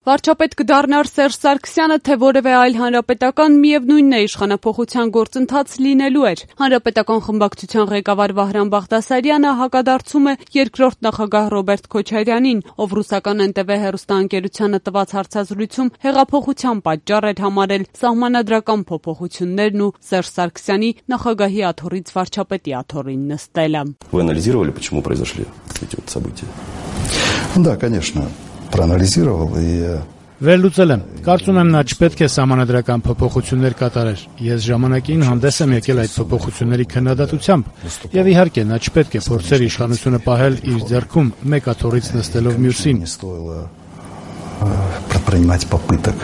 Վարչապետ կդառնար Սերժ Սարգսյանը, թե որևէ այլ հանրապետական, միևնույնն է, իշխանափոխության գործընթաց լինելու էր։ Հանրապետական խմբակցության ղեկավար Վահրամ Բաղդասարյանը հակադարձում է երկրորդ նախագահ Ռոբերտ Քոչարյանին, ով ռուսական NTV հեռուստաընկերությանը տված հարցազրույցում հեղափոխության պատճառ էր համարել սահմանադրական փոփոխություններն ու Սերժ Սարգսյանի նախագահի աթոռից վարչապետի աթոռին նստելը։ Вы анализировали, почему произошли эти вот события? Да, конечно. Проанализировал и... Վերլուծել եմ։ Կարծում եմ նա չպետք է սահմանադրական փոփոխություններ կատարեր։ Ես ժամանակին հանդես եմ եկել այդ փոփոխությունների քննադատությամբ։ Եվ իհարկե նա չպետք է փորձեր իշխանությունը պահել իր ձեռքում մեկ աթոռից նստելով մյուսին։ Предпринимать попыток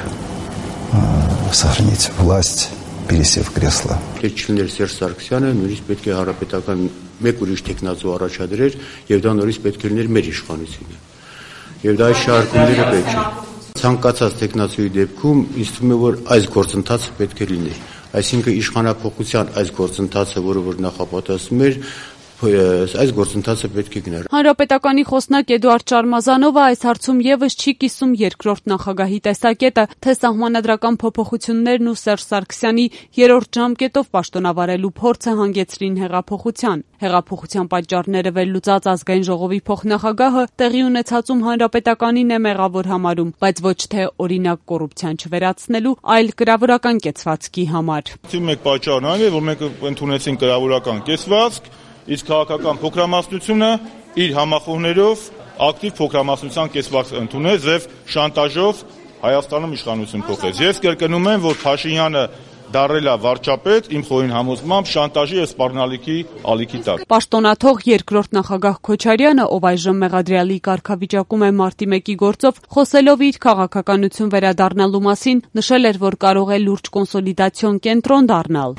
сохранить власть, пересев в кресло. Չլիներ Սերժ Սարգսյանը, նույնիսկ պետք է հանրապետական մեկ ուրիշ տեխնացու առաջադրեր, եւ դա նորից պետք է լիներ մեր իշխանությունը։ Եվ դա շարքումները պետք է։ Ցանկացած տեխնացուի դեպքում ինձ թվում է, որ այս գործընթացը պետք է լինի։ Այսինքն իշխանափոխության այս գործընթացը, որը նախապատասխանում էր, այս գործընթացը պետք է գնար։ Հանրապետականի խոսնակ Էդուարդ Շարմազանովը այս հարցում եւս չի կիսում երկրորդ նախագահի տեսակետը, թե սահմանադրական փոփոխություններն ու Սերժ Սարգսյանի երրորդ ժամկետով պաշտոնավարելու փորձը հանգեցրին հեղափոխության։ Հեղափոխության պատճառները վերլուծած ազգային ժողովի փոխնախագահը տեղի ունեցածում հանրապետականին է մեղավոր համարում, բայց ոչ թե օրինակ կոռուպցիան չվերացնելու, այլ կրավորական կեցվածքի համար։ Մեկ պատճառն այն է, որ մենք ընդունեցին կրավորական կեցվածք, իսկ քաղաքական փոքրամասնությունը իր համախոհներով ակտիվ փոքրամասնության կեցվածք ընդունեց եւ շանտաժով Հայաստանում իշխանություն փոխեց։ Ես կրկնում եմ, որ Փաշինյանը դարել է վարչապետ իմ խորին համոզմամբ շանտաժի եւ սպառնալիքի ալիքի տակ։ Պաշտոնաթող երկրորդ նախագահ Քոչարյանը, ով այժմ մեղադրյալի կարգավիճակում է մարտի 1-ի գործով, խոսելով իր քաղաքականություն վերադառնալու մասին, նշել էր, որ կարող է լուրջ կոնսոլիդացիոն կենտրոն դառնալ։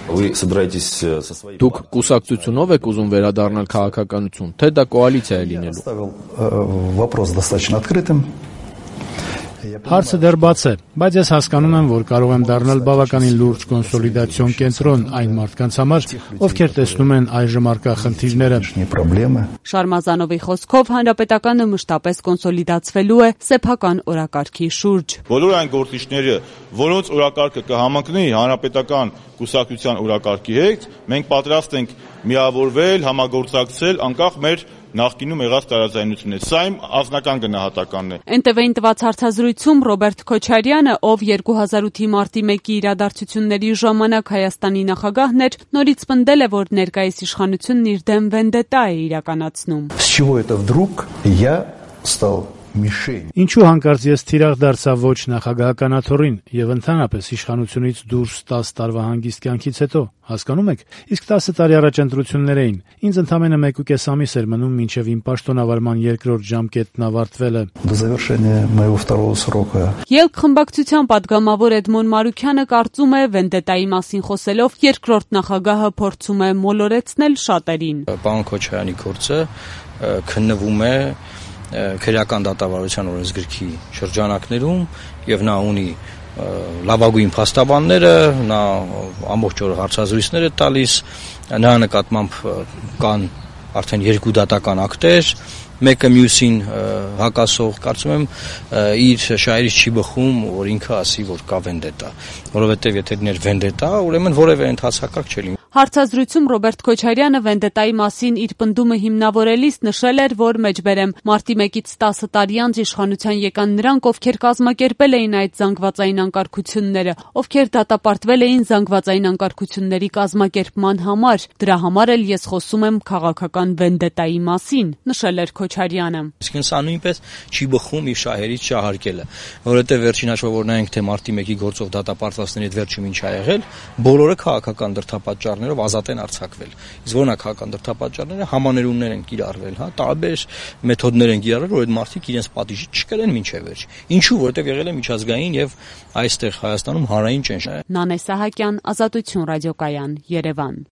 Դուք կուսակցությունով եք ուզում վերադառնալ քաղաքականություն, թե դա կոալիցիա է լինելու։ Вопрос достаточно открытым. Հարցը դեռ բաց է, բայց ես հասկանում եմ, որ կարող եմ դառնալ բավականին լուրջ կոնսոլիդացիոն կենտրոն այն մարդկանց համար, ովքեր տեսնում են այժմ առկա խնդիրները։ Շարմազանովի խոսքով հանրապետականը մշտապես կոնսոլիդացվելու է սեփական օրակարգի շուրջ։ Բոլոր այն գործիչները, որոնց օրակարգը կհամընկնի հանրապետական կուսակցության օրակարգի հետ, մենք պատրաստ ենք միավորվել, համագործակցել անկախ մեր նախկինում եղած տարաձայնությունից։ Սա իմ անձնական գնահատականն է։ NTV-ին տված հարցազրույցում Ռոբերտ Քոչարյանը, ով 2008-ի մարտի 1-ի իրադարձությունների ժամանակ Հայաստանի նախագահն էր, նորից պնդել է, որ ներկայիս իշխանությունն իր դեմ վենդետա է իրականացնում։ С чего это вдруг я стал мишень? Ինչու հանկարծ ես թիրախ դարձա ոչ նախագահական աթոռին եւ ընդհանրապես իշխանությունից դուրս 10 տարվա հանգիստ կյանքից հետո, հասկանում եք, իսկ 10 տարի առաջ ընտրություններ էին։ Ինձ ընդամենը 1.5 ամիս էր մնում մինչև իմ պաշտոնավարման երկրորդ ժամկետն ավարտվելը։ До завершения моего второго срока. Ելք խմբակցության падգամավոր Էդմոն Մարուքյանը կարծում է, վենդետայի մասին խոսելով երկրորդ նախագահը փորձում է մոլորեցնել շատերին։ Պարոն Քոչարյանի գործը քննվում է քրեական դատավարության օրենսգրքի շրջանակներում եւ նա ունի լավագույն փաստաբանները, նա ամբողջ օր հարցազրույցներ է տալիս, նրա նկատմամբ կան արդեն 2 դատական ակտեր, մեկը մյուսին հակասող, կարծում եմ իր շահերից չի բխում, որ ինքը ասի, որ կա վենդետա, որովհետև եթե լիներ վենդետա, ուրեմն որևէ ընթացակարգ չէ լինի։ Հարցազրույցում Ռոբերտ Քոչարյանը վենդետայի մասին իր պնդումը հիմնավորելիս նշել էր, որ մեջբերեմ մարտի 1-ից 10 տարի անց իշխանության եկան նրանք, ովքեր կազմակերպել էին այդ զանգվածային անկարգությունները, ովքեր դատապարտվել էին զանգվածային անկարգությունների կազմակերպման համար։ Դրա համար էլ ես խոսում եմ քաղաքական վենդետայի մասին, նշել էր Քոչարյանը։ Իսկ սա նույնպես չի բխում իր շահերից շահարկելը, որովհետև վերջին հաշվով որ նայենք թե մարտի 1-ի գործով դատապարտվածների հետ վերջում ինչ ա եղել, բոլորը քաղաքական դրդապատճառներով ազատ են արձակվել։ Իսկ որոնք քաղաքական դրդապատճառները համաներումներ են կիրառվել, տարբեր մեթոդներ են կիրառվել, որ այդ մարդիկ իրենց պատիժը չկրեն մինչև վերջ։ Ինչու, որովհետև եղել է միջազգային եւ այստեղ Հայաստանում հանրային ճնշում։ Նանե Սահակյան, Ազատություն ռադիոկայան, Երևան։